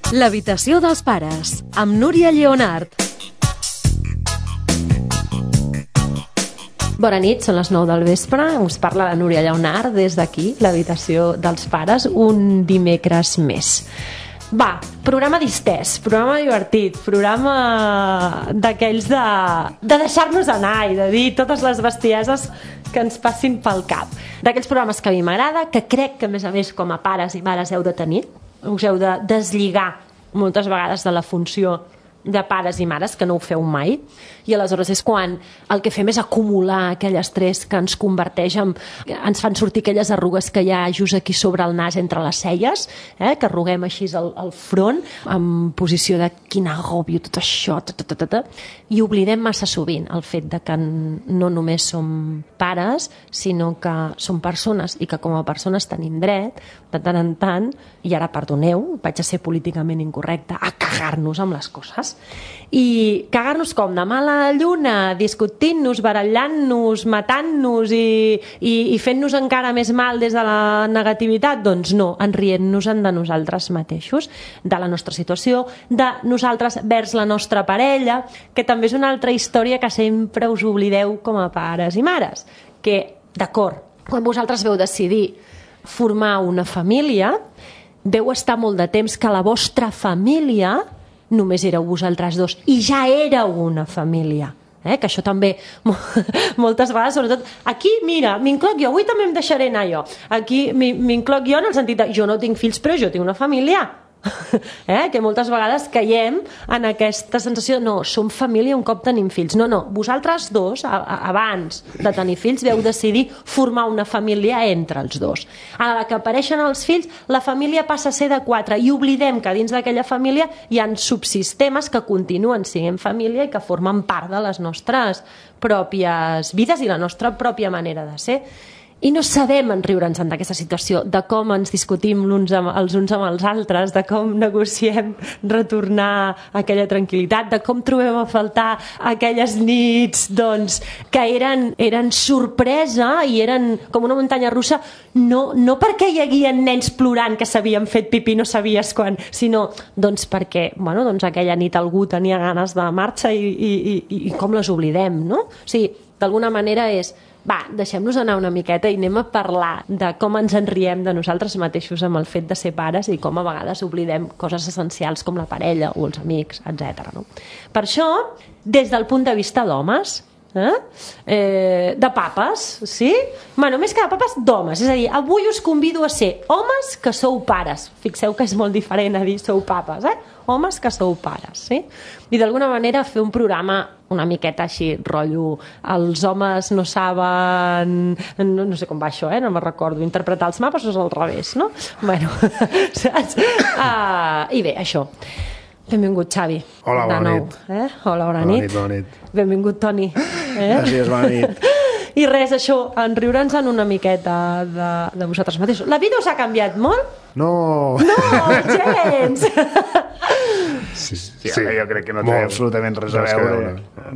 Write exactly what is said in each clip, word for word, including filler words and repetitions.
L'habitació dels pares, amb Núria Lleonart. Bona nit, són les nou del vespre. Us parla la Núria Lleonart des d'aquí, l'habitació dels pares, un dimecres més. Va, programa distès, programa divertit, programa d'aquells de, de deixar-nos anar i de dir totes les bestieses que ens passin pel cap. D'aquells programes que a mi m'agrada, que crec que a més a més com a pares i mares heu de tenir, us heu de deslligar moltes vegades de la funció de pares i mares, que no ho feu mai, i aleshores és quan el que fem és acumular aquell estrès que ens converteix en... ens fan sortir aquelles arrugues que hi ha just aquí sobre el nas entre les celles, eh? Que arruguem així el, el front, en posició de quin agòbio tot això, ta, ta, ta, ta, i oblidem massa sovint el fet de que no només som pares, sinó que som persones i que com a persones tenim dret, de tant en tant, i ara perdoneu, vaig a ser políticament incorrecta, a cagar-nos amb les coses. I cagar-nos com? De mala lluna, discutint-nos, barallant-nos, matant-nos i, i, i fent-nos encara més mal des de la negativitat? Doncs no, enrient-nos-en de nosaltres mateixos, de la nostra situació, de nosaltres vers la nostra parella, que també és una altra història que sempre us oblideu com a pares i mares. Que, d'acord, quan vosaltres veu decidir formar una família, veu estar molt de temps que la vostra família només éreu vosaltres dos i ja éreu una família, eh? Que això també moltes vegades, sobretot aquí, mira, m'incloc jo, avui també em deixaré anar jo, aquí m'incloc jo en el sentit de jo no tinc fills però jo tinc una família, eh? Que moltes vegades caiem en aquesta sensació de no, som família un cop tenim fills. No, no, vosaltres dos a, a, abans de tenir fills veu decidir formar una família entre els dos. A la que apareixen els fills, la família passa a ser de quatre i oblidem que dins d'aquella família hi ha subsistemes que continuen sent família i que formen part de les nostres pròpies vides i la nostra pròpia manera de ser. I no sabem enriure'ns d'aquesta situació, de com ens discutim l'uns amb, els uns amb els altres, de com negociem retornar aquella tranquil·litat, de com trobem a faltar aquelles nits doncs, que eren, eren sorpresa i eren com una muntanya russa, no, no perquè hi haguia nens plorant que s'havien fet pipí no sabies quan, sinó doncs perquè bueno, doncs aquella nit algú tenia ganes de marxa i, i, i, i com les oblidem, no? O sigui, d'alguna manera és va, deixem-nos anar una miqueta i anem a parlar de com ens enriem de nosaltres mateixos amb el fet de ser pares i com a vegades oblidem coses essencials com la parella o els amics, etcètera. No? Per això, des del punt de vista d'homes, eh? Eh, de papes, sí? Bueno, més que de papes, d'homes. És a dir, avui us convido a ser homes que sou pares. Fixeu que és molt diferent a dir sou papes, eh? Homes que sou pares, sí? I d'alguna manera fer un programa una miqueta així, rotllo, els homes no saben, no, no sé com va això, eh? No me'n recordo, interpretar els mapes o és al revés, no? Bueno, saps? Uh, I bé, això. Benvingut, Xavi. Hola, bona nou, nit. Eh? Hola, bona, bona nit. nit. Bona nit. Benvingut, Toni. Eh? Gràcies, bona nit. I res, això, enriure'ns en una miqueta de, de vosaltres mateixos. La vida us ha canviat molt? No! No, gens! Sí, sí, sí, jo crec que no té molt, absolutament res a veure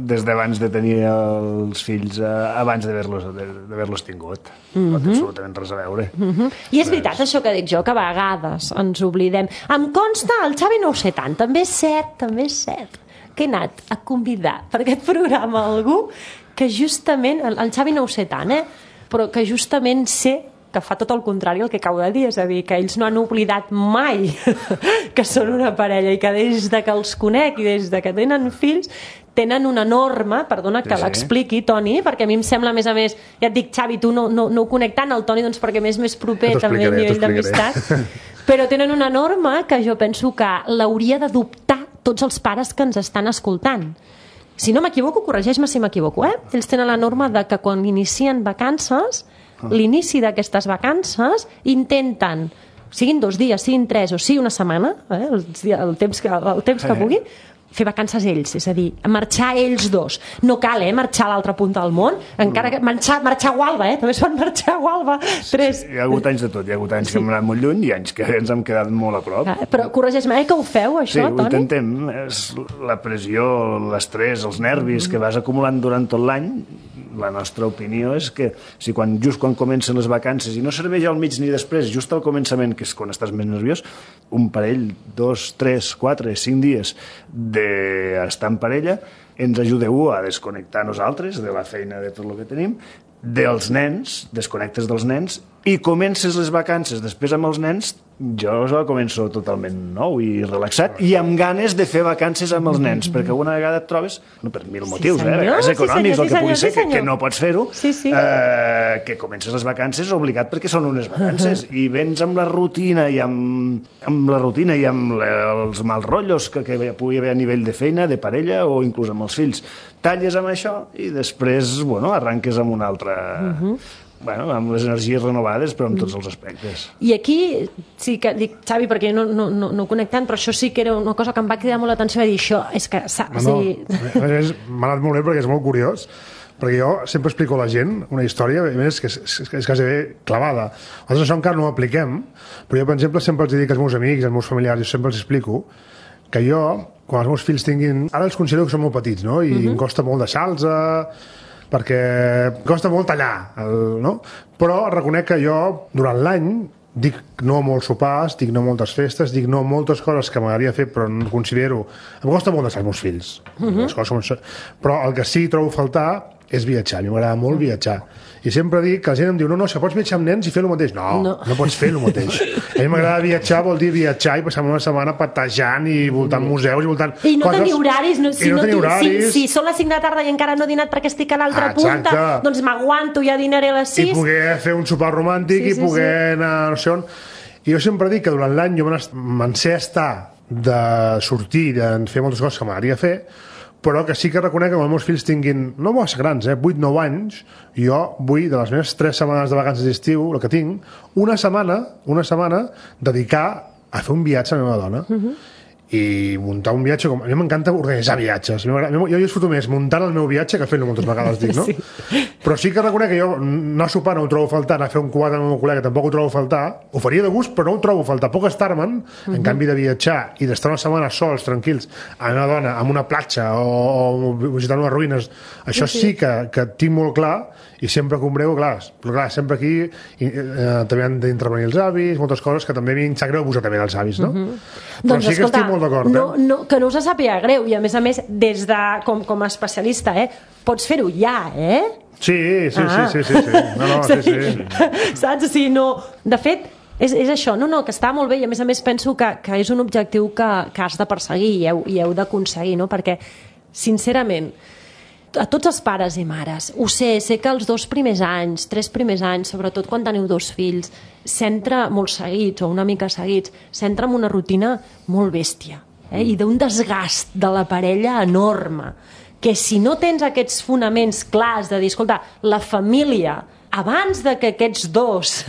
des d'abans de tenir els fills, abans d'haver-los d'haver-los tingut. Mm-hmm. No té absolutament res a veure. Mm-hmm. I és veritat això que dic jo, que a vegades ens oblidem. Em consta, el Xavi no ho sé tant, també és cert, també és cert, que he anat a convidar per aquest programa algú que justament, el Xavi no ho sé tant, eh? Però que justament sé que fa tot el contrari el que acabo de dir, és a dir, que ells no han oblidat mai que són una parella i que des de que els conec i des de que tenen fills tenen una norma, perdona que sí, sí. l'expliqui, Toni, perquè a mi em sembla, a més a més, ja et dic, Xavi, tu no, no, no ho conec tant, el Toni, doncs perquè m'és més proper també a nivell d'amistat, però tenen una norma que jo penso que l'hauria d'adoptar tots els pares que ens estan escoltant. Si no m'equivoco, corregeix-me si m'equivoco, eh? Ells tenen la norma de que quan inicien vacances, l'inici d'aquestes vacances, intenten, siguin dos dies, siguin tres o sigui una setmana, eh? el, el temps que, el temps que puguin, fer vacances ells, és a dir, marxar ells dos. No cal, eh, marxar a l'altra punta del món, encara que marxar, marxar a Gualba, eh, també es pot marxar a Gualba. Tres... Sí, sí, hi ha hagut anys de tot, hi ha hagut anys sí. que hem anat molt lluny i anys que ens hem quedat molt a prop. Ah, però corregeix-me, eh, que ho feu, això, sí, Toni? Sí, ho intentem. És la pressió, l'estrès, els nervis mm-hmm. que vas acumulant durant tot l'any la nostra opinió és que si quan, just quan comencen les vacances, i no serveix al mig ni després, just al començament, que és quan estàs més nerviós, un parell, dos, tres, quatre, cinc dies d'estar en parella, ens ajudeu a desconnectar nosaltres de la feina, de tot el que tenim, dels nens, desconnectes dels nens, i comences les vacances després amb els nens, jo començo totalment nou i relaxat, i amb ganes de fer vacances amb els nens, perquè alguna vegada et trobes, no, per mil motius, sí, eh, a vegades econòmics, sí, senyor, el que pugui sí, ser, que, que no pots fer-ho, sí, sí. Eh, que comences les vacances obligat perquè són unes vacances, i vens amb la rutina i amb, amb la rutina i amb le, els mals rotllos que, que pugui haver a nivell de feina, de parella o inclús amb els fills. Talles amb això i després, bueno, arranques amb una altra... Uh-huh. Bueno, amb les energies renovades, però amb tots els aspectes. I aquí sí que dic, Xavi, perquè no, no, no, no conec tant, però això sí que era una cosa que em va cridar molt l'atenció, de dir això, és que... No, no, m'ha anat molt bé perquè és molt curiós, perquè jo sempre explico a la gent una història, a més, que és, és, és quasi bé clavada. Nosaltres això encara no ho apliquem, però jo, per exemple, sempre els dic als meus amics, als meus familiars, jo sempre els explico que jo, quan els meus fills tinguin... Ara els considero que són molt petits, no? I uh-huh. em costa molt deixar-los... perquè costa molt tallar, el, no? Però reconec que jo, durant l'any, dic no a molts sopars, dic no a moltes festes, dic no a moltes coses que m'agradaria fer, però no considero... Em costa molt deixar els meus fills. Uh-huh. Les coses són... Però el que sí trobo a faltar és viatjar. A mi m'agrada molt viatjar. I sempre dic que la gent em diu, no, no, si pots viatjar amb nens i fer el mateix. No, no, no pots fer el mateix. A mi m'agrada viatjar, vol dir viatjar i passar una setmana patejant i voltant museus i voltant... I no tenir horaris. No, si I no, no tenir horaris. Si, si són les cinc de la tarda i encara no he dinat perquè estic a l'altra ah, punta, doncs m'aguanto, ja dinaré a les sis. I poder fer un sopar romàntic sí, sí, i poder sí. anar no sé on... I jo sempre dic que durant l'any jo me'n sé estar de sortir, de fer moltes coses que m'agradaria fer, però que sí que reconec que quan els meus fills tinguin, no massa grans, eh, vuit nou anys, jo vull, de les meves tres setmanes de vacances d'estiu, el que tinc, una setmana, una setmana, dedicar a fer un viatge a la meva dona. Uh-huh. I muntar un viatge... Com... A mi m'encanta organitzar viatges. Jo, jo disfruto més muntant el meu viatge que fent-lo moltes vegades, dic, no? Sí. Però sí que reconec que jo anar a sopar no ho trobo a faltar, anar a fer un quadre amb el meu col·lega tampoc ho trobo a faltar. Ho faria de gust, però no ho trobo a faltar. Puc estar-me'n, uh-huh. en canvi de viatjar i d'estar una setmana sols, tranquils, amb una dona, amb una platja o, o visitant unes ruïnes, això sí, sí que, que tinc molt clar i sempre que ombrego, clar, però clar, sempre aquí i, eh, també han d'intervenir els avis, moltes coses que també a mi em sap greu posar també els avis, no? Uh-huh. Però doncs, sí que estic molt d'acord, no, eh? no, que no us sàpiga greu, i a més a més, des de, com, com a especialista, eh, pots fer-ho ja, eh? Sí, sí, ah. sí, sí, sí, sí. No, no, sí, sí. Saps? O sigui, no... De fet, és, és això, no, no, que està molt bé, i a més a més penso que, que és un objectiu que, que has de perseguir i heu, i heu d'aconseguir, no? Perquè, sincerament, a tots els pares i mares, ho sé, sé que els dos primers anys, tres primers anys, sobretot quan teniu dos fills, s'entra molt seguits o una mica seguits, s'entra en una rutina molt bèstia, eh? I d'un desgast de la parella enorme, que si no tens aquests fonaments clars de dir, escolta, la família, abans de que aquests dos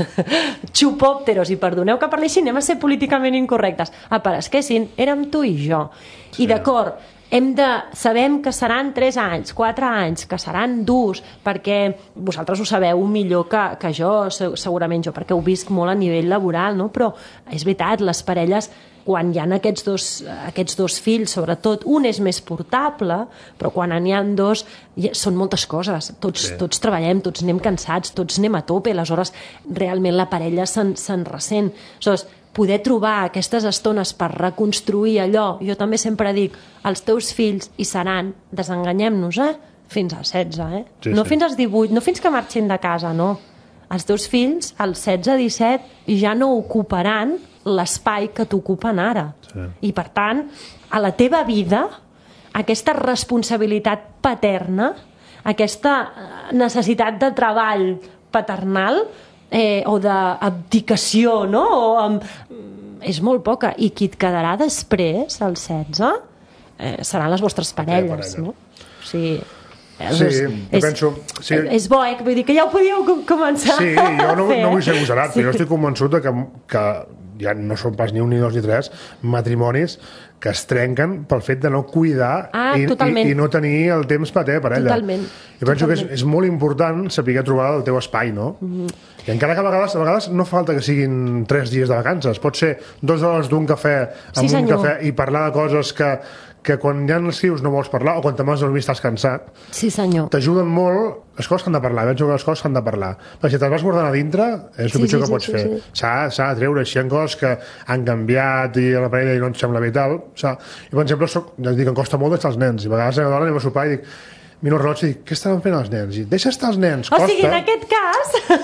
xupòpteros, i perdoneu que parli així, anem a ser políticament incorrectes, aparesquessin, érem tu i jo. Sí. I d'acord, hem de, sabem que seran tres anys, quatre anys, que seran durs, perquè vosaltres ho sabeu millor que, que jo, segurament jo, perquè ho visc molt a nivell laboral, no? Però és veritat, les parelles, quan hi ha aquests dos, aquests dos fills, sobretot, un és més portable, però quan n'hi ha dos, són moltes coses. Tots, sí. tots treballem, tots anem cansats, tots anem a tope, aleshores realment la parella se'n, se'n ressent. Aleshores, poder trobar aquestes estones per reconstruir allò, jo també sempre dic, els teus fills hi seran, desenganyem-nos, eh? Fins als setze, eh? Sí, no sí. Fins als divuit, no fins que marxin de casa, no. Els teus fills, als setze, disset, ja no ocuparan l'espai que t'ocupen ara. Sí. I, per tant, a la teva vida, aquesta responsabilitat paterna, aquesta necessitat de treball paternal, Eh, o d'abdicació, no? O amb... és molt poca. I qui et quedarà després, als setze, eh, seran les vostres parelles, no? O sigui, sí, és, jo penso... Sí. És bo, eh? Vull dir que ja ho podíeu començar sí, jo no, a fer. No vull ser agosarat, sí. Però jo estic convençut que, que ja no són pas ni un, ni dos, ni tres matrimonis que es trenquen pel fet de no cuidar ah, i, i, i no tenir el temps per a per ella. Totalment. Jo penso totalment. que és, és molt important saber trobar el teu espai, no? Mm-hmm. I encara que a vegades, a vegades no falta que siguin tres dies de vacances, pot ser dues hores d'un cafè amb sí, un cafè i parlar de coses que, que quan ja no escrius no vols parlar, o quan te vas a dormir estàs cansat, sí, senyor. T'ajuden molt les coses que han de parlar. Penso que les coses que han de parlar. Perquè si te'ls vas guardant a dintre, és el Sí, pitjor sí, que sí, pots sí, fer. sí. S'ha de treure, si hi ha coses que han canviat i a la parella no et sembla bé i tal. O sigui, jo, per exemple, soc, ja dic, em costa molt deixar els nens. I a vegades a la dona anem a sopar i dic, miro el rellotge i dic, què estaven fent els nens? I deixa estar els nens, O costa. sigui, en aquest cas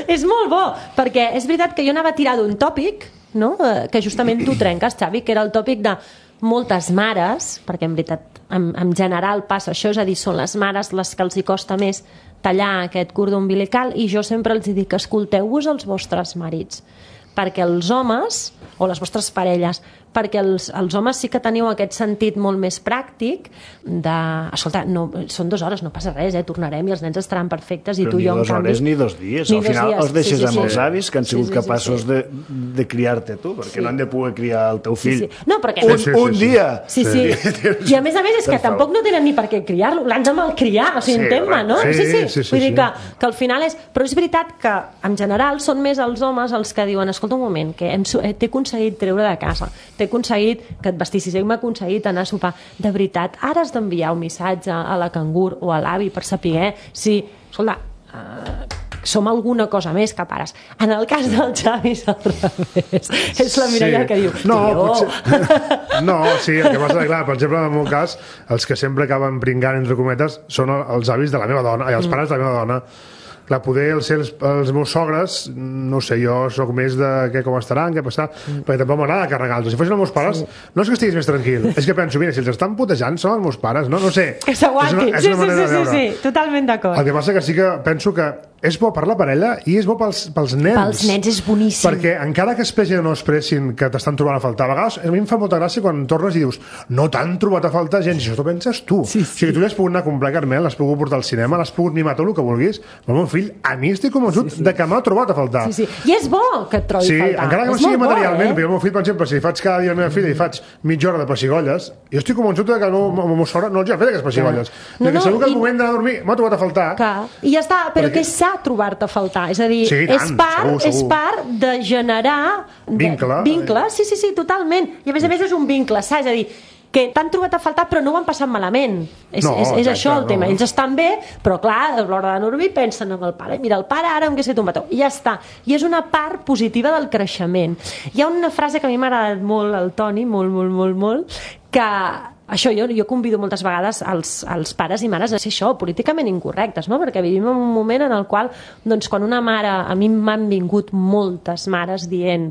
és molt bo, perquè és veritat que jo anava a tirar d'un tòpic, no? eh, que justament tu trenques, Xavi, que era el tòpic de moltes mares, perquè en veritat en, en general passa això, és a dir, són les mares les que els hi costa més tallar aquest cordó umbilical, i jo sempre els dic, escolteu-vos els vostres marits, perquè els homes, o les vostres parelles, perquè els, els homes sí que teniu aquest sentit molt més pràctic de, escolta, no, són dues hores, no passa res, eh, tornarem i els nens estaran perfectes i Però tu i ni jo, en dues canvi... hores ni dos dies. Ni Al dos final dies. els deixes Sí, sí, amb sí. els avis que han Sí, sigut sí, sí, capaços sí. de, de criar-te tu, perquè Sí. no han de poder criar el teu Sí, fill sí. No, perquè... un, Sí, sí, sí, un sí. dia. Sí, sí. I a més a més és que Per favor. tampoc no tenen ni per què criar-lo, l'han de malcriar, o sigui, Sí, entén-me, no? sí, Sí, sí, sí, sí, Vull dir sí. que, que al final és... Però és veritat que, en general, són més els homes els que diuen, escolta un moment, que hem, su- eh, t'he aconseguit treure de casa, t'he aconseguit que et vestissis, hem aconseguit anar a sopar. De veritat, ara has d'enviar un missatge a la cangur o a l'avi per saber si, escolta, uh, som alguna cosa més que pares. En el cas del Xavi és al revés. És la Mireia Sí. que diu, No, tio... potser... No, sí, el que passa és clar, per exemple, en el meu cas, els que sempre acaben pringant, entre cometes, són els avis de la meva dona, i els pares de la meva dona. Clar, poder els, els, els meus sogres, no ho sé, jo sóc més de què, com estaran, què passarà, mm. perquè tampoc m'agrada carregar-los. Si fossin els meus pares, sí. no és que estiguis més tranquil, és que penso, mira, si els estan putejant són els meus pares, no, no sé. Que s'aguantin. És Sí, una, és una sí, manera sí, de sí, veure. sí, totalment d'acord. El que passa que sí que penso que és bo per la parella i és bo pels, pels nens. Pels nens és boníssim. Perquè encara que expressin o no expressin que t'estan trobant a faltar, a vegades a mi em fa molta gràcia quan tornes i dius no t'han trobat a faltar gens, i això t'ho penses tu. Sí, sí. O sigui, tu ja has pogut anar a comprar carmel, l'has pogut portar al cinema, l'has pogut mimar tot el que vulguis, però el meu fill, a mi estic convençut sí, sí. de que m'ha trobat a faltar. Sí, sí. I és bo que et trobi Sí, faltar. encara que no És sigui molt bo, materialment, eh? perquè el meu fill, per exemple, si li faig cada dia a la meva filla i faig mitja hora de pessigolles, jo estic convençut de que el meu, el meu sogre no els ha fet aquestes pessigolles. No, No, no, segur que al i- moment d'anar a dormir m'ha trobat a faltar. Que... I ja està, però Perquè- que és sa trobar-te a faltar. És a dir, Sí, és, tant, part, segur, segur. és part de generar... De... Vincle. Vincle, sí, sí, sí, totalment. I a més a més és un vincle, saps? És a dir, que t'han trobat a faltar però no ho han passat malament. És, No, és, és exacte, això el tema. no. Ells estan bé, però clar, a l'hora de dormir pensen en el pare. Mira, el pare ara em que set un petó. I ja està. I és una part positiva del creixement. Hi ha una frase que a mi m'ha agradat molt al Toni, molt, molt, molt, molt, que això jo, jo convido moltes vegades als, als pares i mares a ser això, políticament incorrectes, no? Perquè vivim en un moment en el qual, doncs, quan una mare, a mi m'han vingut moltes mares dient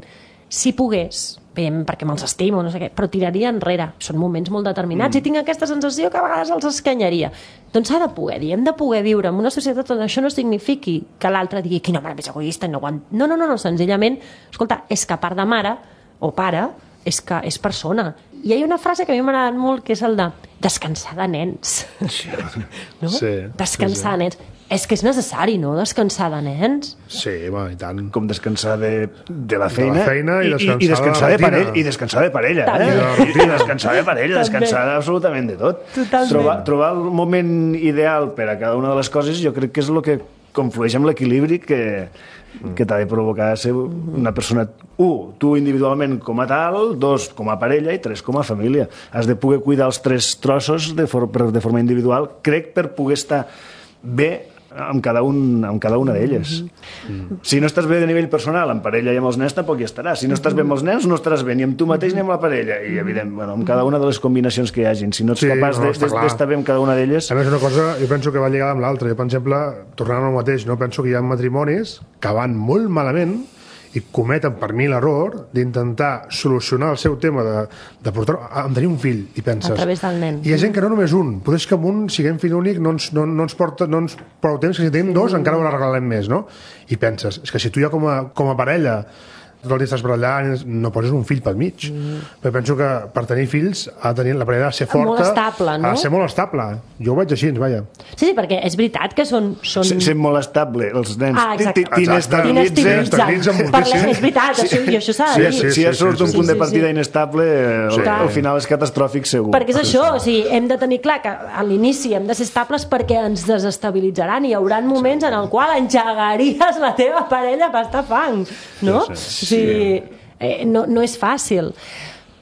si pogués, bé, perquè me'ls estimo, no sé què, però tiraria enrere. Són moments molt determinats mm. i tinc aquesta sensació que a vegades els escanyaria. Doncs s'ha de poder dir, hem de poder viure en una societat on això no signifiqui que l'altre digui quina mare més egoista, no, aguant... no, no, no, no, senzillament, escolta, és que a part de mare o pare, és que és persona. I hi ha una frase que a mi m'ha agradat molt, que és el de descansar de nens. No? Sí, Descansar sí, sí. de nens. És que és necessari, no?, descansar de nens. Sí, bueno, i tant. Com descansar de, de la feina, De la feina i descansar i, i descansar de de, la parella, rutina. i descansar de parella, També. eh? I de la I, rutina. I descansar de parella, També. descansar absolutament de tot. Totalment. Trobar, trobar el moment ideal per a cada una de les coses jo crec que és el que conflueix amb l'equilibri que, que t'ha de provocar ser una persona, un, tu individualment com a tal, dos, com a parella, i tres, com a família. Has de poder cuidar els tres trossos de, for, de forma individual, crec, per poder estar bé amb cada, un, amb cada una d'elles. Mm. Si no estàs bé de nivell personal, amb parella i amb els nens tampoc hi estaràs. Si no estàs bé amb els nens, no estaràs bé ni amb tu mateix ni amb la parella. I, evident, bueno, amb cada una de les combinacions que hi hagin. Si no ets Sí, capaç no, de- està de- clar. d'estar bé amb cada una d'elles... A més, una cosa, jo penso que va lligada amb l'altra. Jo, per exemple, tornant al mateix, no penso que hi ha matrimonis que van molt malament i cometen per mi l'error d'intentar solucionar el seu tema de, de portar a tenir un fill i penses... A través del nen. Hi ha gent que no només un, potser és que amb un, siguem fill únic, no ens, no, no ens porta no ens prou temps, que si tenim dos encara ho regalarem més, no? I penses, és que si tu ja com a, com a parella tot el dia estàs barallant, no poses un fill pel mig. Mm. Però penso que per tenir fills ha de tenir, la parella ha de ser forta, Molt estable, no? ha de ser molt estable. Jo ho veig així, vaja. Sí, sí, perquè és veritat que són... són... Se- Sent molt estable, els nens Ah, exacte. t'inestabilitzen. T'inestabilitzen. T'inestabilitzen moltíssim. Parlem, és veritat, això, i això s'ha de Si, dir. si, si ja sí, surt sí, un sí, punt sí, de partida sí. inestable, al, Sí. al final és catastròfic segur. Perquè és això, o sigui, hem de tenir clar que a l'inici hem de ser estables perquè ens desestabilitzaran i hi haurà moments en el qual engegaries la teva parella per estar fang, no? Sí, sí. O sigui, eh, no, no és fàcil.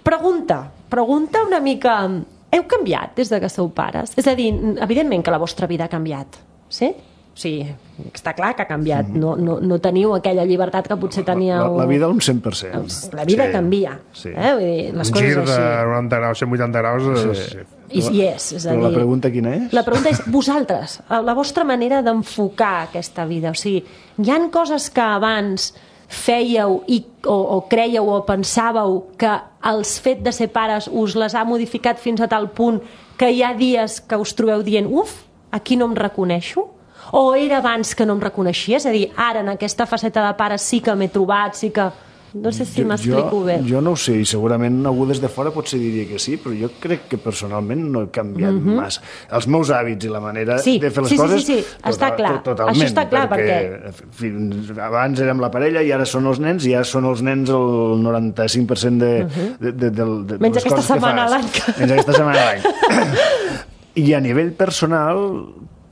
Pregunta, pregunta una mica... Heu canviat des de que sou pares? És a dir, evidentment que la vostra vida ha canviat, sí? Sí, està clar que ha canviat. No, no, no teniu aquella llibertat que potser teníeu... La, la vida un cent per cent. La vida Sí, canvia. sí. Eh? Vull dir, les Un coses gir de així. noranta graus, cent vuitanta graus... Sí. I, i és, és a Però dir... la pregunta quina és? La pregunta és, vosaltres, la vostra manera d'enfocar aquesta vida. O sigui, hi han coses que abans fèieu i, o, o creieu o pensàveu que el fet de ser pares us les ha modificat fins a tal punt que hi ha dies que us trobeu dient uf, aquí no em reconeixo? O era abans que no em reconeixia? És a dir, ara en aquesta faceta de pare sí que m'he trobat, sí que... No sé si m'explico bé. Jo no ho sé, i segurament algú des de fora potser diria que sí, però jo crec que personalment no he canviat mm -hmm. massa. Els meus hàbits i la manera sí, de fer les sí, coses... Sí, sí, sí, està total, clar. Totalment, això està clar, perquè... perquè... Fins abans érem la parella i ara són els nens, i ara són els nens el noranta-cinc per cent de, uh -huh. de, de, de, de, de Menys les aquesta coses setmana que a fas. l'any. Menys aquesta setmana a l'any. I a nivell personal...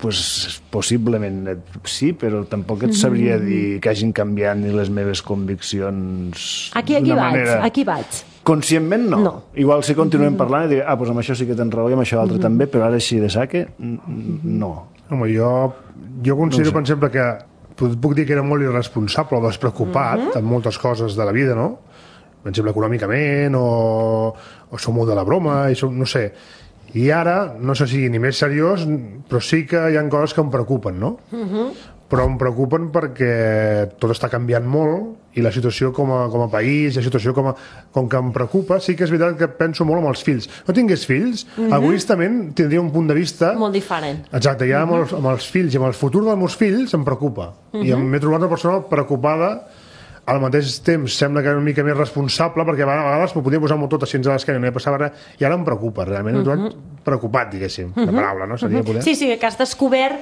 Pues, possiblement sí, però tampoc et sabria dir que hagin canviat ni les meves conviccions aquí, aquí d'una vaig, manera... aquí vaig. Conscientment no. no. Igual si continuem parlant i dic, ah, doncs amb això sí que tens raó i amb això l'altre també, però ara així de saque, no. Home, jo, jo considero, no per exemple, que puc dir que era molt irresponsable o despreocupat uh -huh. en moltes coses de la vida, no? Per exemple, econòmicament, o, o som molt de la broma, i som, no sé... I ara, no sé si ni més seriós, però sí que hi ha coses que em preocupen, no? Uh -huh. Però em preocupen perquè tot està canviant molt i la situació com a, com a país, la situació com, a, com que em preocupa, sí que és veritat que penso molt en els fills. No tingués fills, uh -huh. egoistament tindria un punt de vista... Molt diferent. Exacte, ja uh -huh. amb, els, amb els fills i amb el futur dels meus fills em preocupa. Uh -huh. I m'he trobat una persona preocupada. Al mateix temps sembla que era una mica més responsable, perquè a vegades m'ho podia posar molt tot així a l'esquena i no hi passava res, i ara em preocupa, realment, uh -huh. preocupat, diguéssim, uh -huh. la paraula, no? Seria poder... Sí, sí, que has descobert,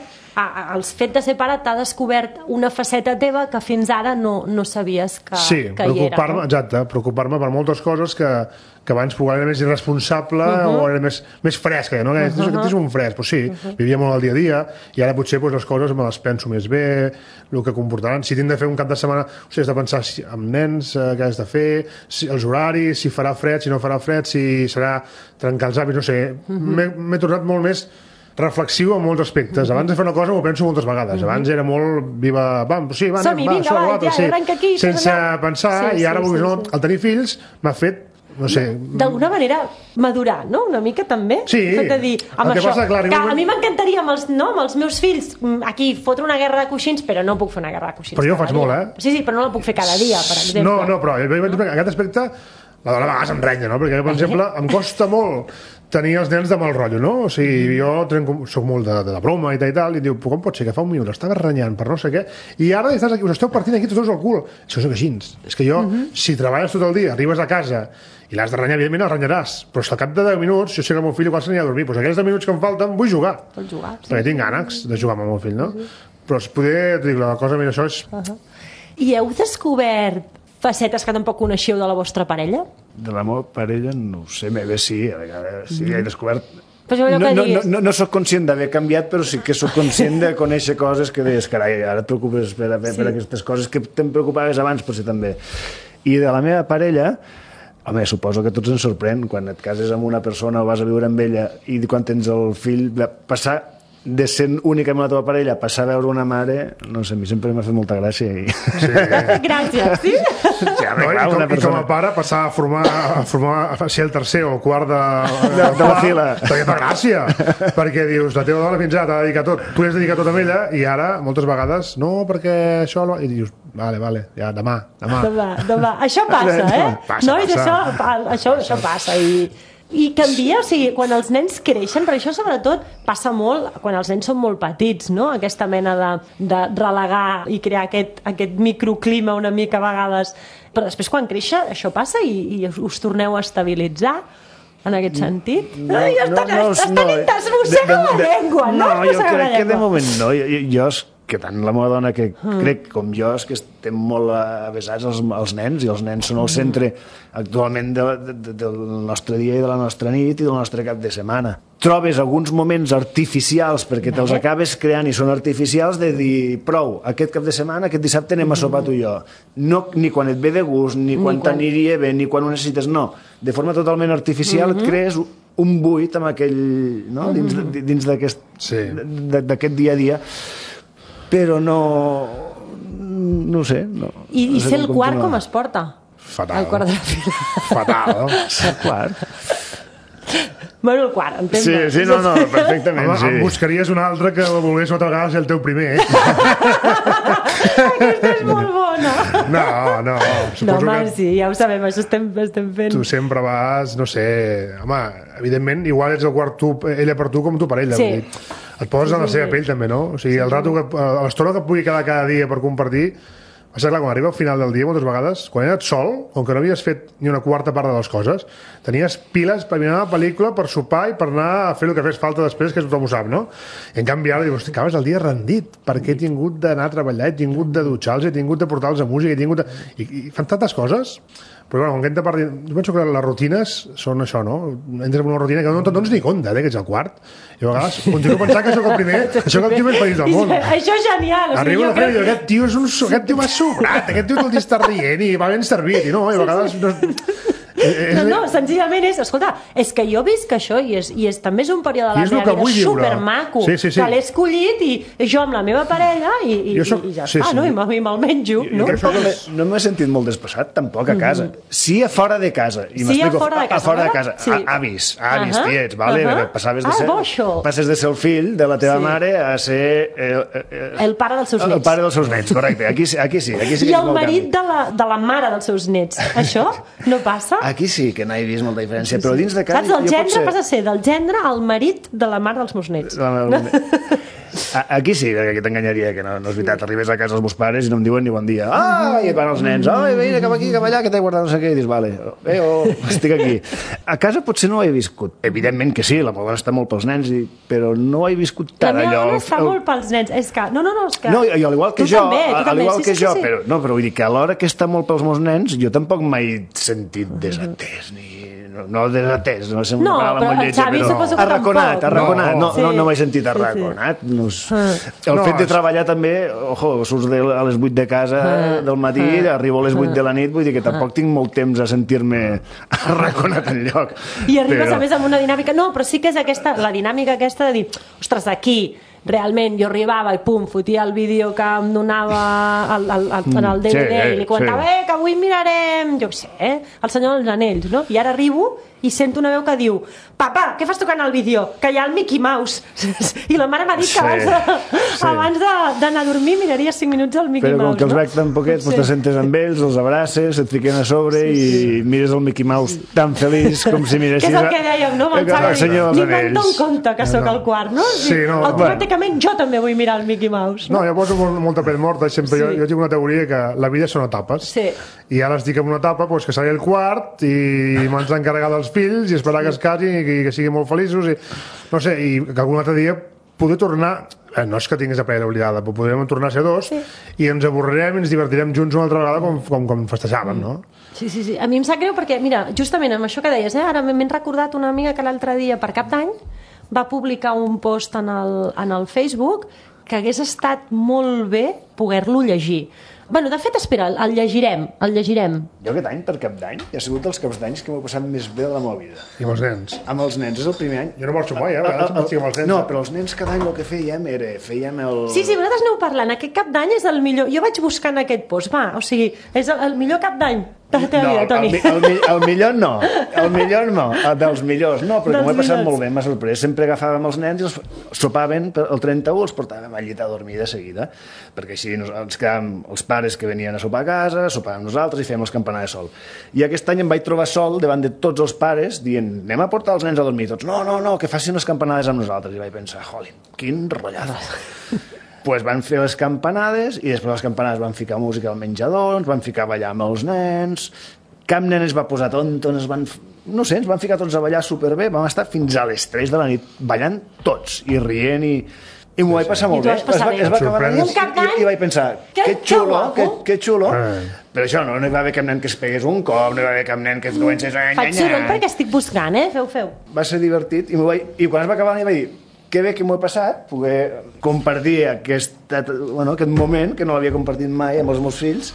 el fet de ser pare t'ha descobert una faceta teva que fins ara no, no sabies que, sí, que hi era. No? Exacte, preocupar-me per moltes coses que, que abans poder era més irresponsable uh -huh. o era més, més fresca, no? Que uh -huh. aquest és un fresc, pues sí, uh -huh. vivia molt el dia a dia, i ara potser pues, les coses me les penso més bé, el que comportaran, si tinc de fer un cap de setmana, o sigui, has de pensar si, amb nens, eh, què has de fer, si, els horaris, si farà fred, si no farà fred, si serà trencar els hàbits, no sé, uh -huh. m'he tornat molt més reflexiu en molts aspectes. Abans de fer una cosa m'ho penso moltes vegades. Abans era molt viva... Va, sí, va, som-hi, va, vinga, va, ja, sí. arrenca aquí. Sense pensar, sí, i ara, sí, sí, no, sí. al tenir fills, m'ha fet no sé... D'alguna manera madurar, no? Una mica també. Sí. De dir, amb El que això, passa, clar, que igualment- a mi m'encantaria amb, els, no, amb els meus fills aquí fotre una guerra de coixins, però no puc fer una guerra de coixins Però jo ho cada faig dia. molt, eh? Sí, sí, però no la puc fer cada dia, per exemple. No, no, però en aquest aspecte la dona a vegades em renya, no? Perquè, per exemple, em costa molt tenir els nens de mal rotllo, no? O sigui, jo trenco, soc molt de, de la broma i tal i tal, i diu, com pot ser que fa un minut estava renyant per no sé què, i ara estàs aquí, us esteu partint aquí tots dos al cul. Això és així. És que jo, uh -huh. si treballes tot el dia, arribes a casa i l'has de renyar, evidentment el renyaràs, però si al cap de deu minuts, jo sé que el meu fill igual s'anirà a dormir, doncs aquells deu minuts que em falten vull jugar. Pots jugar, sí. Perquè tinc ganes de jugar amb el meu fill, no? Uh -huh. Però es poder, et dic, la cosa, mira, això és... Uh -huh. I heu descobert facetes que tampoc coneixeu de la vostra parella? De la meva parella no ho sé, bé, sí, a vegades sí, he descobert... Pues allò No, que no, no, digues. no, no sóc conscient d'haver canviat, però sí que sóc conscient de conèixer coses que deies, carai, ara et preocupes per, per, Sí. per aquestes coses que te'n preocupaves abans, potser també. I de la meva parella, home, suposo que a tots ens sorprèn quan et cases amb una persona o vas a viure amb ella i quan tens el fill, passar de ser única amb la teva parella, passar a veure una mare, no sé, a mi sempre m'ha fet molta gràcia. I... Sí. Gràcies, sí? Sí, home, No, clar, i, com, una I com persona... a pare passar a formar, a formar a ser el tercer o el quart de, De- de la fila. perquè fa gràcia, perquè dius, la teva dona fins ara t'ha dedicat tot, tu li has dedicat tot a ella, i ara moltes vegades no, perquè això no... i dius, vale, vale, ja, demà, demà. Demà, demà. Això passa, eh? Passa, Nois, passa. Això, pa- això, això passa. I, I canvia, o sigui, quan els nens creixen, per això sobretot passa molt quan els nens són molt petits, no? Aquesta mena de, de relegar i crear aquest, aquest microclima una mica a vegades. Però després quan créixer això passa i, i us torneu a estabilitzar en aquest sentit. No, Ai, estan, no, no, estan, no, es mossega la llengua, no? No, Es jo mossega la crec que de llengua. moment no. Jo, jo, jo és que tant la meva dona que mm. crec com jo és que estem molt avesats als, als nens, i els nens són el centre actualment de, de, del nostre dia i de la nostra nit i del nostre cap de setmana. Trobes alguns moments artificials perquè te'ls acabes creant i són artificials de dir, prou, aquest cap de setmana, aquest dissabte anem a sopar tu i jo. No, ni quan et ve de gust, ni quan, quan... t'aniria bé, ni quan ho necessites, no. De forma totalment artificial mm -hmm. et crees un buit amb aquell, no? dins, dins d'aquest Sí. d'aquest dia a dia, però no no ho sé no, I, no i sé ser el quart continuar. com es porta? Fatal. El quart de la fila. Fatal, no? El quart. Bueno, el quart, entenc. Sí, sí, no, no, perfectament, Home, sí. em buscaries un altre que volgués moltes vegades ser el teu primer, eh? Aquesta és molt bona. No, no, No, suposo home, que sí, ja ho sabem, això estem, estem fent. tu sempre vas, no sé... Home, evidentment, igual ets el quart tu, ella per tu com tu per ella. Sí. Vull dir, et poses en la seva pell, també, no? O sigui, el rato que, a l'estona que et pugui quedar cada dia per compartir. Passa clar, quan arriba al final del dia, moltes vegades, quan eres sol, com que no havies fet ni una quarta part de les coses, tenies piles per mirar la pel·lícula, per sopar i per anar a fer el que fes falta després, que tothom ho sap, no? I en canvi ara dius, hosti, acabes el dia rendit, perquè he tingut d'anar a treballar, he tingut de dutxar-los, he tingut de portar-los a música, he tingut de... I, i fan tantes coses, però bueno, quan hem de partir... Jo penso que les rutines són això, no? Entres en una rutina que no te'n dones ni compte, eh, que ets el quart. I a vegades continuo pensant que sóc el primer, que sóc el tio més feliç del món. Això és genial. O sigui, Arribo a la jo feina i crec dic, aquest tio és un... so- Aquest tio m'ha sobrat, aquest tio tot el dia està rient i va ben servit, i no, i a vegades... No, és, No, no, senzillament és, escolta, és que jo visc això i, és, i és, també és un període de I la és el meva que vida vull viure. supermaco, Sí, sí, sí. que l'he escollit i jo amb la meva parella i, i, Jo soc- i ja sí, està, sí. no? I me'l me'l menjo, no? Jo no m'he- no m'he sentit molt despassat, tampoc, a casa. Sí, a fora de casa. I Sí, m'explico, a fora de casa, A fora de no? casa. Sí. A- Avis, avis, Ahà, tiets, vale? ahà. Perquè passaves de Ah, ser, boixo. passes de ser el fill de la teva Sí. mare a ser... Eh, eh, eh, El pare dels seus el nets. pare dels seus nets, correcte. Aquí, sí- aquí sí. Aquí sí I que és el molt marit canvi. de la, de la mare dels seus nets. Això no passa? Aquí sí que no he vist molta diferència, però dins de casa... Saps? El jo gendre potser- passa a ser del gendre al marit de la mare dels meus nets. La- la- A- Aquí sí, perquè aquí t'enganyaria, que no, no és veritat. Arribes a casa dels meus pares i no em diuen ni bon dia. Ah, i van els nens. Ai, vine cap aquí, cap allà, que t'he guardat no sé què. I dius, vale, eh, oh, estic aquí. A casa potser no ho he viscut. Evidentment que sí, la meva dona està molt pels nens, i, però no ho he viscut La tant meva allò. dona està el- molt pels nens. És que... No, no, no, és que... No, i al igual que tu jo, també, tu al també. igual sí, que sí, jo, sí, sí. però, no, però vull dir que a l'hora que està molt pels meus nens, jo tampoc mai he sentit desatès, ni... No, no desatès, no sé, No, una paraula però molt el lletja, Xavi però... suposo que Arraconat, tampoc. arraconat, no, Sí. no, no m'he sentit Sí, sí. arraconat. No, és- Ah. el No, fet de és- treballar també, ojo, surts de, a les vuit de casa Ah. del matí, Ah. arribo a les vuit de la nit, vull dir que tampoc tinc molt temps a sentir-me arraconat enlloc. I arribes Però- a més amb una dinàmica... No, però sí que és aquesta, la dinàmica aquesta de dir, ostres, aquí realment jo arribava i pum, fotia el vídeo que em donava el, el, el, en el D V D sí, i li comentava, sí. eh, que avui mirarem, jo què sé, eh, el senyor dels anells, no? I ara arribo i sento una veu que diu, papa, què fas tocant el vídeo? Que hi ha el Mickey Mouse. I la mare m'ha dit Sí, que abans de- sí. abans de- d'anar a dormir miraria cinc minuts al Mickey Però com Mouse. que els no? veig tan poquets, doncs te sentes amb ells, els abraces, et fiquen a sobre i mires el Mickey Mouse tan feliç com si Que miressis... és el que dèiem, no? Amb el el Xavi, senyor ni dels me'n dono anells. compte que sóc el quart, no? Sí, no, automàticament jo també vull mirar el Mickey Mouse. No, jo poso molt, molta pell morta. Sempre Sí. jo, jo tinc una teoria que la vida són etapes. Sí. I ara estic en una etapa pues, que seré el quart i m'han d'encarregar dels fills i esperar que es casin i que, que siguin molt feliços i, no sé, i que algun altre dia poder tornar, eh, no és que tinguis la parella oblidada, però podrem tornar a ser dos Sí. i ens avorrirem i ens divertirem junts una altra vegada com, com, com festejàvem, no? Sí, sí, sí. A mi em sap greu perquè, mira, justament amb això que deies, eh, ara m'he recordat una amiga que l'altre dia, per Cap d'Any, va publicar un post en el, en el Facebook que hagués estat molt bé poder-lo llegir. Bueno, de fet, espera, el, el llegirem, el llegirem. Jo aquest any, per Cap d'Any, ha sigut dels caps d'anys que m'ho he passat més bé de la meva vida. I amb els nens. Amb els nens, és el primer any. Jo no me'l sumo, eh? A vegades em estic amb els nens. No, però els nens cada any el que fèiem era... Fèiem el... Sí, sí, vosaltres aneu parlant. Aquest Cap d'Any és el millor... Jo vaig buscant aquest post, va, o sigui, és el, el millor Cap d'Any de la teva No, vida, el, Toni. mi- el, mi- el millor no, el millor no, el dels millors no, però Dels com he passat millors. molt bé, m'ha sorprès, sempre agafàvem els nens i els sopaven per- el trenta-u, els portàvem al llit a dormir de seguida, perquè així nos- ens quedàvem els pares que venien a sopar a casa, sopàvem nosaltres i fèiem les campanades sol. I aquest any em vaig trobar sol davant de tots els pares dient, anem a portar els nens a dormir, tots, no, no, no, que facin les campanades amb nosaltres, i vaig pensar, jolín, quin rotllazo. Pues van fer les campanades i després les campanades van ficar música al menjador, ens van ficar a ballar amb els nens, cap nen es va posar tonto, ens van, no sé, ens van ficar tots a ballar superbé, vam estar fins a les tres de la nit ballant tots i rient i, i m'ho vaig passar molt I t'ho bé. vas passar Es va, bé. es va acabar la Sorprès. nit Un Cap d'Any? i, i vaig pensar, Que- que que xulo, guapo. que, que xulo. Eh. Però això no, no hi va haver cap nen que es pegués un cop, no hi va haver cap nen que es comencés a Faig soroll perquè estic buscant, eh? Feu, feu. va ser divertit i, vaig, i quan es va acabar la nit vaig dir que bé que m'ho he passat, poder compartir aquest, bueno, aquest moment que no l'havia compartit mai amb els meus fills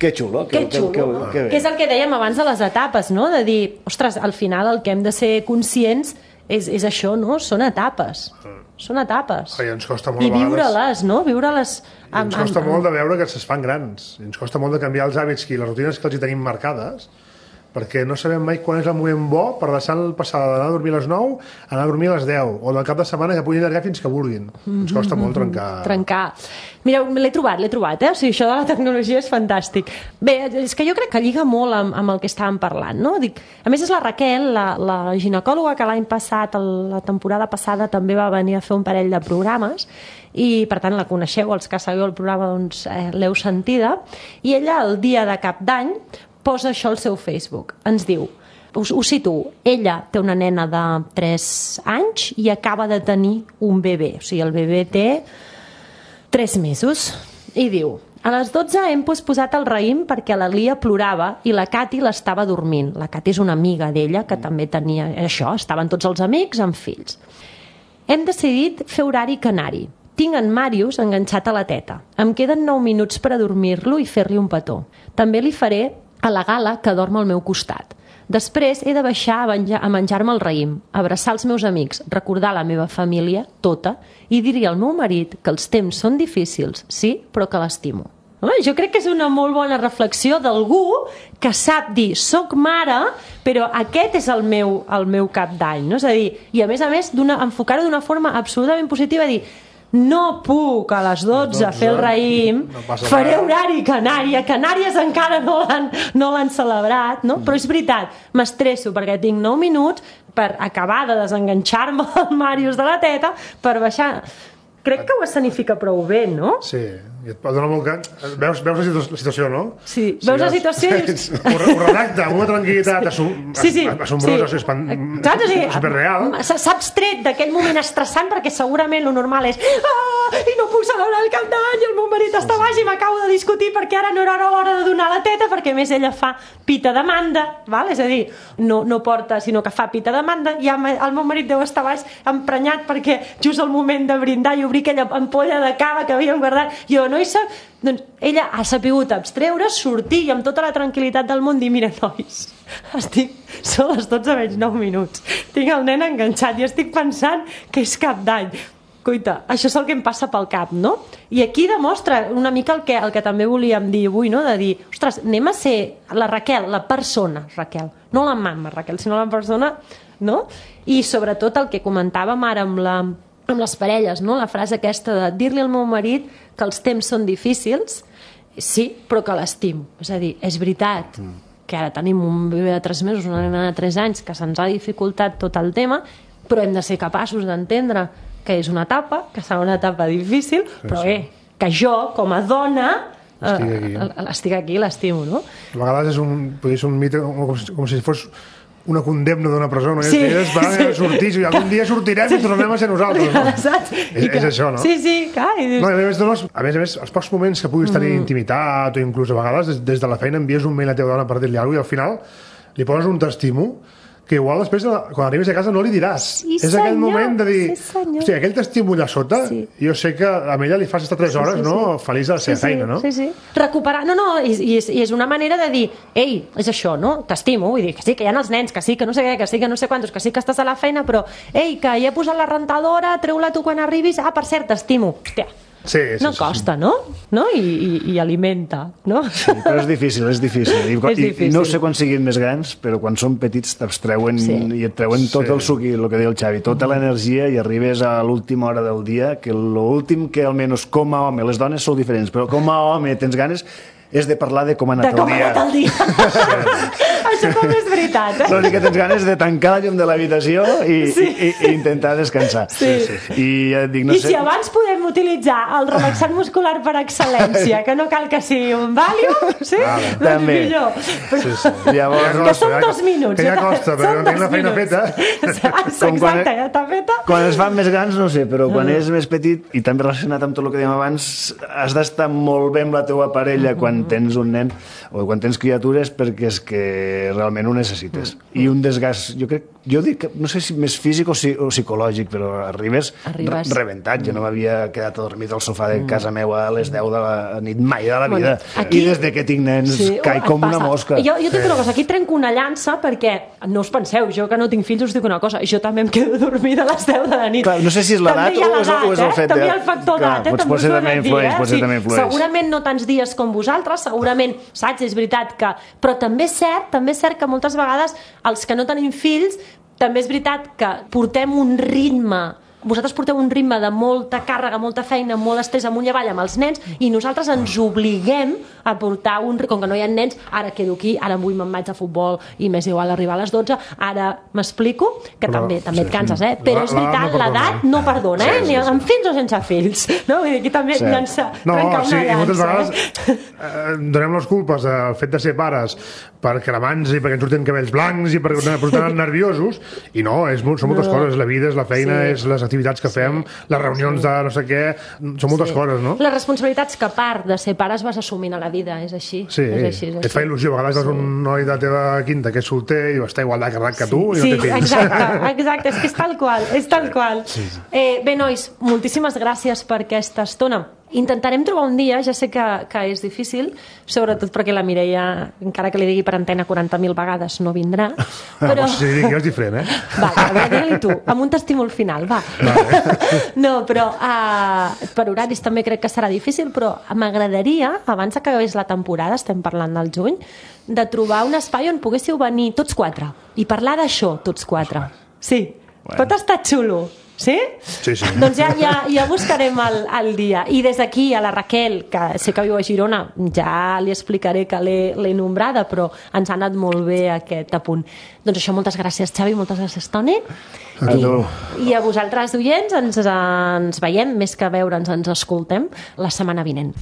Que xulo. Que, que xulo, que, no? Que, que és el que dèiem abans de les etapes, no? De dir, ostres, al final el que hem de ser conscients és, és això, no? Són etapes. Són etapes. Ai, ens costa molt I viure-les, no? Viure-les... Amb, ens costa amb, molt de veure que es fan grans. Ens costa molt de canviar els hàbits i les rutines que els hi tenim marcades, perquè no sabem mai quan és el moment bo per deixar el passar d'anar a dormir a les nou a anar a dormir a les deu, o del cap de setmana que puguin allargar fins que vulguin. Ens costa molt trencar. Trencar. Mireu, l'he trobat, l'he trobat, eh? O sigui, això de la tecnologia és fantàstic. Bé, és que jo crec que lliga molt amb, amb el que estàvem parlant, no? Dic, a més, és la Raquel, la, la ginecòloga que l'any passat, el, la temporada passada, també va venir a fer un parell de programes, i per tant la coneixeu, els que seguiu el programa doncs eh, l'heu sentida, i ella el dia de cap d'any posa això al seu Facebook. Ens diu, us, ho situo, ella té una nena de tres anys i acaba de tenir un bebè, o sigui, el bebè té tres mesos, i diu, a les dotze hem posat el raïm perquè la Lia plorava i la Cati l'estava dormint. La Cati és una amiga d'ella que també tenia això, estaven tots els amics amb fills. Hem decidit fer horari canari. Tinc en Màrius enganxat a la teta. Em queden nou minuts per a dormir-lo i fer-li un petó. També li faré a la Gala, que dorm al meu costat. Després he de baixar a, a menjar-me el raïm, abraçar els meus amics, recordar la meva família, tota, i dir-hi al meu marit que els temps són difícils, sí, però que l'estimo. Jo crec que és una molt bona reflexió d'algú que sap dir, soc mare, però aquest és el meu, el meu cap d'any, no? És a dir, i a més a més enfocar-ho d'una forma absolutament positiva, dir, no puc a les dotze fer el raïm, no faré horari canari, a Canàries encara no l'han no l'han celebrat, no? Però és veritat, m'estresso perquè tinc nou minuts per acabar de desenganxar-me el Màrius de la teta per baixar. Crec que ho escenifica prou bé, no? Sí, i et dona molt que... Veus, veus la situació, no? Sí, veus sí, la situació i... Ho, ho redacta amb una tranquil·litat assum... sí, sí, assombrosa, sí. Espan... Clar, sí, superreal. Saps tret d'aquell moment estressant perquè segurament lo normal és ah, i no puc celebrar el cap d'any i el meu marit està baix i m'acabo de discutir perquè ara no era hora de donar la teta perquè més ella fa pita de manda, val? És a dir, no, no porta sinó que fa pita de manda i el meu marit deu estar baix emprenyat perquè just al moment de brindar i obrir aquella ampolla de cava que havíem guardat, jo no hi sap, doncs ella ha sapigut abstreure, sortir i amb tota la tranquil·litat del món dir, mira nois, estic, són les dotze menys nou minuts, tinc el nen enganxat i estic pensant que és cap d'any. Coita, això és el que em passa pel cap, no? I aquí demostra una mica el que, el que també volíem dir avui, no? De dir, ostres, anem a ser la Raquel, la persona Raquel, no la mama Raquel, sinó la persona, no? I sobretot el que comentàvem ara amb la amb les parelles, no? La frase aquesta de dir-li al meu marit que els temps són difícils, sí, però que l'estimo. És a dir, és veritat mm. que ara tenim un bebè de tres mesos, una nena de tres anys, que se'ns ha dificultat tot el tema, però hem de ser capaços d'entendre que és una etapa, que serà una etapa difícil, sí, però bé, eh, que jo, com a dona, estic aquí, eh? estic aquí, l'estimo, no? A vegades és un, podria ser un mite com si, com si fos una condemna d'una presó, no? Sí, I es va sí. sortir, i algun dia sortirem sí. i tornem a ser nosaltres, no? És, que, és això, no? Sí, sí, clar. I dius... no, a, més, doncs, a més a més, els pocs moments que puguis tenir mm. intimitat o inclús a vegades des, des de la feina envies un mail a la teva dona per dir-li alguna cosa i al final li poses un t'estimo que igual després, quan arribis a casa, no li diràs. Sí, és aquell moment de dir, sí, hòstia, aquell t'estimo allà sota, sí. jo sé que a ella li fas estar tres hores, sí, sí, no? Sí. Feliç de la seva sí, feina, no? Sí, sí. Recuperar, no, no, i, i, és, i és una manera de dir, ei, és això, no? T'estimo, vull dir, que sí, que hi ha els nens, que sí, que no sé què, que sí, que no sé quantos, que sí que estàs a la feina, però, ei, que ja he posat la rentadora, treu-la tu quan arribis, ah, per cert, t'estimo. Hòstia, Sí, sí, no sí, costa, sí. no? no? I, i, I alimenta, no? Sí, però és difícil, és difícil. I, és difícil. I, i no sé quan siguin més grans, però quan són petits t'abstreuen sí. i et treuen tot sí. el suc, el que deia el Xavi, tota mm. l'energia i arribes a l'última hora del dia, que l'últim que almenys com a home, les dones són diferents, però com a home tens ganes és de parlar de com ha anat de el dia. De com ha anat el dia. Això també és veritat. Eh? L'únic que tens ganes de tancar la llum de l'habitació i, sí. i, i intentar descansar. Sí. Sí, sí. I, ja dic, no I sé... si abans podem utilitzar el relaxant muscular per excel·lència, que no cal que sigui un Valium, sí? Ah, doncs també. Millor. Però... Sí, sí. Llavors, que costa, són dos minuts. Que ja costa, però no tinc la feina feta. Exacte, quan, ja està feta. Quan es fan més grans, no sé, però quan és més petit, i també relacionat amb tot el que dèiem abans, has d'estar molt bé amb la teua parella quan tens un nen o quan tens criatures, perquè és que realment ho necessites. I un desgast, jo crec, jo dic, no sé si més físic o, si, o psicològic, però arribes, Arribes. Re rebentat. Jo no m'havia quedat adormit al sofà de casa meva a les deu de la nit mai de la vida. Bueno, aquí... I des de que tinc nens sí, caic com una mosca. Jo, jo tinc una cosa, aquí trenco una llança perquè, no us penseu, jo que no tinc fills us dic una cosa, jo també em quedo dormida a les deu de la nit. Clar, no sé si és l'edat o, és, o és el fet eh? de... També hi ha el factor d'edat, eh? Potser també influeix, potser sí, també influeix. Segurament no tants dies com vosaltres, segurament, saps, és veritat que... Però també és cert, també és cert que moltes vegades els que no tenim fills, també és veritat que portem un ritme... Vosaltres porteu un ritme de molta càrrega, molta feina, molt estrès amunt i avall amb els nens i nosaltres ens obliguem a portar un... Com que no hi ha nens, ara quedo aquí, ara avui me'n vaig a futbol i m'és igual arribar a les dotze, ara m'explico, que però, també també sí, et canses, eh? Però és veritat, l'edat no perdona, eh? Ni amb fills o sense fills. No? Vull dir, aquí també sí. llança, no, trencar sí, una llança. I moltes vegades eh, donem les culpes al fet de ser pares per cremants i perquè ens surten cabells blancs i perquè ens estan nerviosos i no, és, són moltes no. coses, la vida és la feina, sí. és les activitats que sí. fem, les reunions sí. de no sé què, són moltes sí. coses, no? Les responsabilitats que a part de ser pares vas assumint a la vida, és així. Sí, és així, és et així. fa il·lusió, a vegades sí. vas un noi de la teva quinta que és solter i està igual de carregat que tu i sí, no té fills. Exacte, exacte, és que és tal qual, és tal qual. Sí. Eh, bé, nois, moltíssimes gràcies per aquesta estona. Intentarem trobar un dia, ja sé que, que és difícil, sobretot perquè la Mireia, encara que li digui per antena quaranta mil vegades, no vindrà. Però... Si li dic jo és diferent, eh? Va, a veure, digue-li tu, amb un t'estímul final, va. Vale. No, però uh, per horaris també crec que serà difícil, però m'agradaria, abans que acabés la temporada, estem parlant del juny, de trobar un espai on poguéssiu venir tots quatre i parlar d'això, tots quatre. Sí, bueno. Pot estar xulo. Sí? Sí, sí. Doncs ja, ja, ja buscarem el, el dia. I des d'aquí a la Raquel, que sé que viu a Girona, ja li explicaré que l'he nombrada, però ens ha anat molt bé aquest apunt. Doncs això, moltes gràcies, Xavi, moltes gràcies, Toni. A I, I a vosaltres, oients, ens, ens veiem, més que veure'ns, ens escoltem la setmana vinent.